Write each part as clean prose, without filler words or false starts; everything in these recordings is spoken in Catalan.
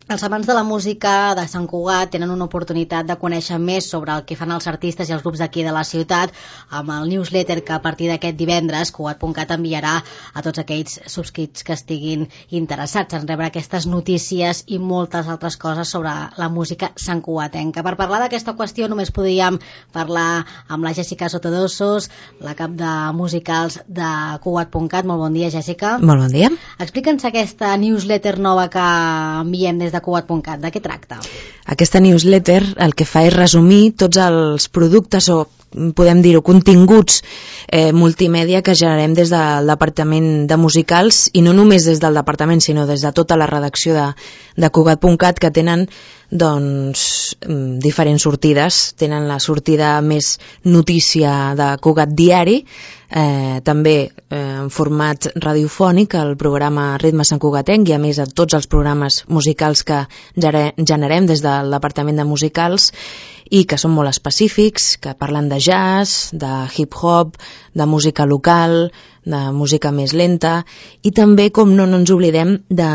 Els amants de la música de Sant Cugat tenen una oportunitat de conèixer més sobre el que fan els artistes i els grups d'aquí de la ciutat amb el newsletter que a partir d'aquest divendres Cugat.cat enviarà a tots aquells subscrits que estiguin interessats en rebre aquestes notícies i moltes altres coses sobre la música santcugatenca. Per parlar d'aquesta qüestió només podíem parlar amb la Jèssica Sotodosos, la cap de musicals de Cugat.cat. Molt bon dia, Jèssica. Molt bon dia. Explica'ns aquesta newsletter nova que enviem des de Cugat.cat. De què tracta? Aquesta newsletter el que fa és resumir tots els productes o podem dir-ho, continguts multimèdia que generem des del Departament de Musicals, i no només des del departament sinó des de tota la redacció de Cugat.cat, que tenen doncs diferents sortides. Tenen la sortida més notícia de Cugat Diari, també en format radiofònic, el programa Ritme Santcugatenc, i a més a tots els programes musicals que generem des del Departament de Musicals i que són molt específics, que parlen de jazz, de hip-hop, de música local, de música més lenta, i també, com no ens oblidem, de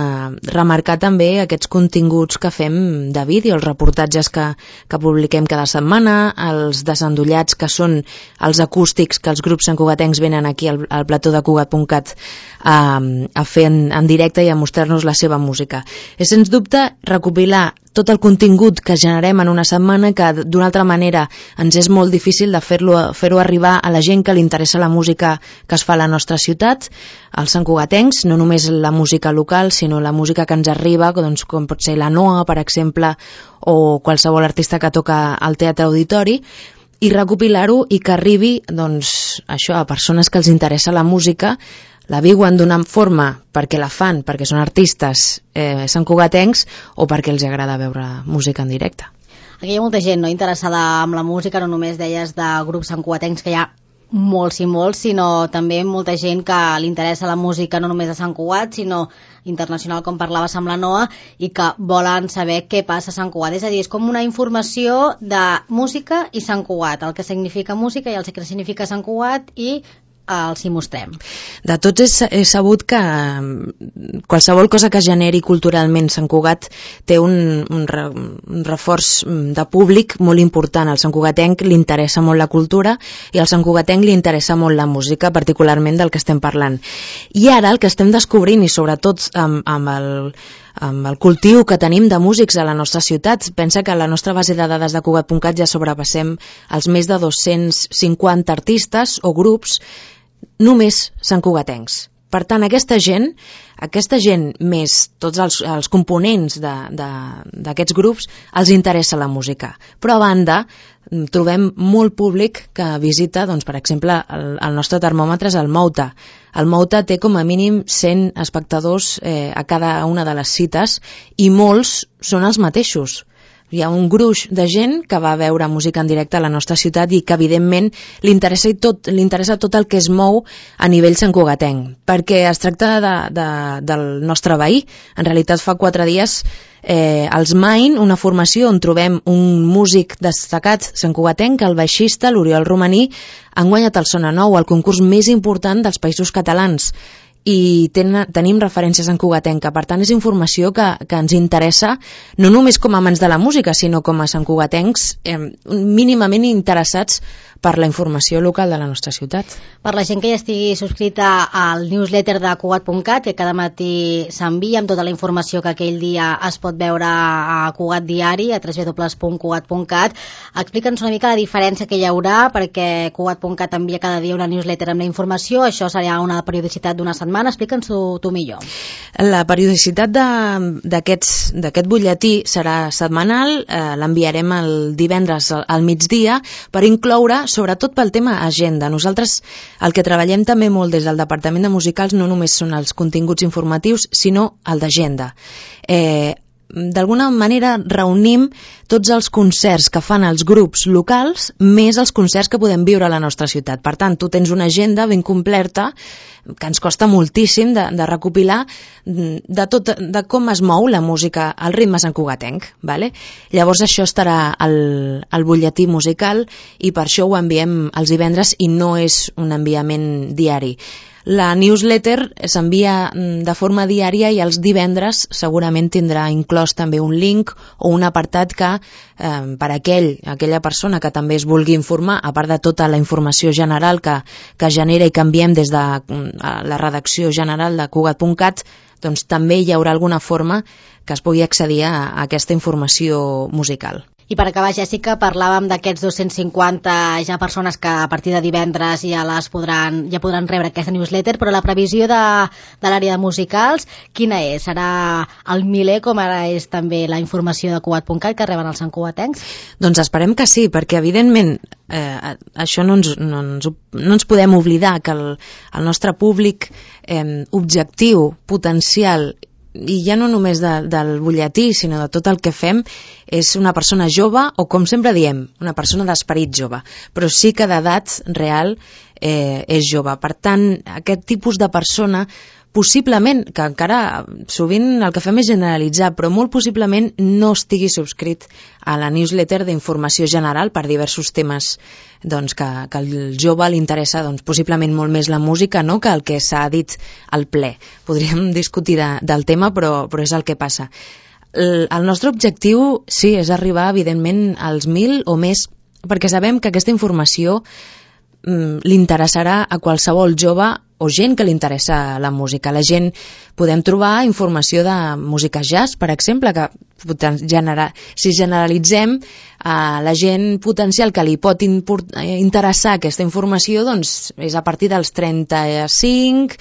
remarcar també aquests continguts que fem de vídeo, els reportatges que publiquem cada setmana, els desendollats, que són els acústics que els grups santcugatencs venen aquí al plató de Cugat.cat a fer en directe i a mostrar-nos la seva música. És sens dubte recopilar tot el contingut que generem en una setmana, que d'una altra manera ens és molt difícil de fer-ho arribar a la gent que li interessa la música que es fa a la nostra ciutat, als santcugatencs, no només la música local, sinó la música que ens arriba, doncs, com pot ser la Noa, per exemple, o qualsevol artista que toca al Teatre Auditori, i recopilar-ho i que arribi, doncs, això, a persones que els interessa la música, la viuen d'una forma perquè la fan, perquè són artistes santcugatencs, o perquè els agrada veure música en directe. Aquí hi ha molta gent, no?, interessada amb la música, no només deies de grups santcugatencs, que hi ha molts i molts, sinó també molta gent que li interessa la música no només de Sant Cugat, sinó internacional, com parlaves amb la Noa, i que volen saber què passa a Sant Cugat. És a dir, és com una informació de música i Sant Cugat, el que significa música i el que significa Sant Cugat, i els hi mostrem. De tots és sabut que qualsevol cosa que generi culturalment Sant Cugat té un reforç de públic molt important. Al santcugatenc li interessa molt la cultura i al santcugatenc li interessa molt la música, particularment del que estem parlant. I ara el que estem descobrint, i sobretot amb el cultiu que tenim de músics a la nostra ciutat, pensa que a la nostra base de dades de Cugat.cat ja sobrepassem els més de 250 artistes o grups només santcugatencs. Per tant, aquesta gent més tots els components d'aquests grups els interessa la música. Però a banda trobem molt públic que visita, doncs, per exemple, el nostre termòmetre és el Mouta. El Mouta té com a mínim 100 espectadors a cada una de les cites, i molts són els mateixos. Hi ha un gruix de gent que va veure música en directe a la nostra ciutat i que evidentment li interessa tot el que es mou a nivell santcugatenc, perquè es tracta del nostre veí. En realitat fa 4 dies als Main, una formació on trobem un músic destacat santcugatenc, el baixista, l'Oriol Romaní, han guanyat el Sona Nou, el concurs més important dels Països Catalans, i tenim referències en cugatenca. Per tant, és informació que ens interessa no només com a amants de la música, sinó com a santcugatencs mínimament interessats per la informació local de la nostra ciutat. Per la gent que ja estigui subscrita al newsletter de Cugat.cat, que cada matí s'envia amb tota la informació que aquell dia es pot veure a Cugat Diari, a www.cugat.cat, explica'ns una mica la diferència que hi haurà, perquè Cugat.cat envia cada dia una newsletter amb la informació. Això serà una periodicitat d'una setmana. Explica'ns-ho tu millor. La periodicitat d'aquest butlletí serà setmanal, l'enviarem el divendres al migdia, per incloure, sobretot pel tema agenda. Nosaltres el que treballem també molt des del Departament de Musicals no només són els continguts informatius, sinó el d'agenda. D'alguna manera reunim tots els concerts que fan els grups locals més els concerts que podem viure a la nostra ciutat. Per tant, tu tens una agenda ben completa que ens costa moltíssim de recopilar de com es mou la música al ritme santcugatenc, vale? Llavors això estarà al butlletí musical i per això ho enviem els divendres i no és un enviament diari. La newsletter s'envia de forma diària i els divendres segurament tindrà inclòs també un link o un apartat que per aquella persona que també es vulgui informar, a part de tota la informació general que genera i canviem des de la redacció general de Cugat.cat, doncs també hi haurà alguna forma que es pugui accedir a aquesta informació musical. I per acabar, Jèssica, parlàvem d'aquests 250 ja persones que a partir de divendres ja podran rebre aquesta newsletter, però la previsió de l'àrea de musicals, quina és? Serà el miler, com ara és també la informació de Cugat.cat que reben els santcugatencs? Doncs esperem que sí, perquè evidentment això no ens podem oblidar que el nostre públic objectiu, potencial, i ja no només del butlletí, sinó de tot el que fem, és una persona jove, o com sempre diem, una persona d'esperit jove, però sí que d'edat real és jove. Per tant, aquest tipus de persona possiblement, que encara sovint el que fem és generalitzar, però molt possiblement no estigui subscrit a la newsletter d'informació general per diversos temes doncs, que al jove li interessa possiblement molt més la música, no?, que el que s'ha dit al ple. Podríem discutir del tema, però és el que passa. El nostre objectiu, sí, és arribar, evidentment, als 1.000 o més, perquè sabem que aquesta informació li interessarà a qualsevol jove o gent que li interessa la música. La gent podem trobar informació de música jazz, per exemple, que si generalitzem la gent potencial que li pot interessar aquesta informació, doncs és a partir dels 35,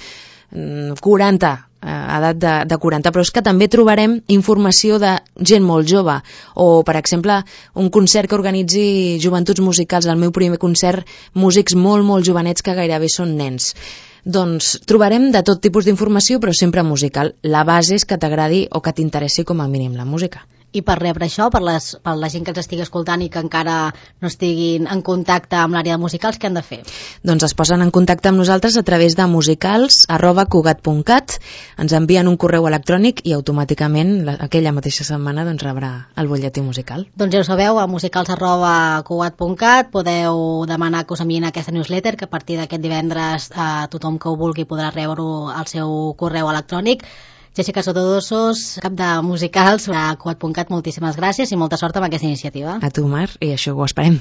40, edat de 40, però és que també trobarem informació de gent molt jove, o per exemple un concert que organitzi Joventuts Musicals, el meu primer concert, músics molt molt jovenets que gairebé són nens. Doncs trobarem de tot tipus d'informació, però sempre musical. La base és que t'agradi o que t'interessi com a mínim la música. I per rebre això, per la gent que ens estigui escoltant i que encara no estiguin en contacte amb l'àrea de musicals, què han de fer? Doncs es posen en contacte amb nosaltres a través de musicals@cugat.cat, ens envien un correu electrònic i automàticament aquella mateixa setmana rebrà el butlletí musical. Doncs ja ho sabeu, a musicals@cugat.cat podeu demanar que us enviïn aquesta newsletter, que a partir d'aquest divendres tothom que ho vulgui podrà rebre-ho al seu correu electrònic. Jèssica Sotodosos, cap de musicals a Cugat.cat, moltíssimes gràcies i molta sort amb aquesta iniciativa. A tu, Mar, i això ho esperem.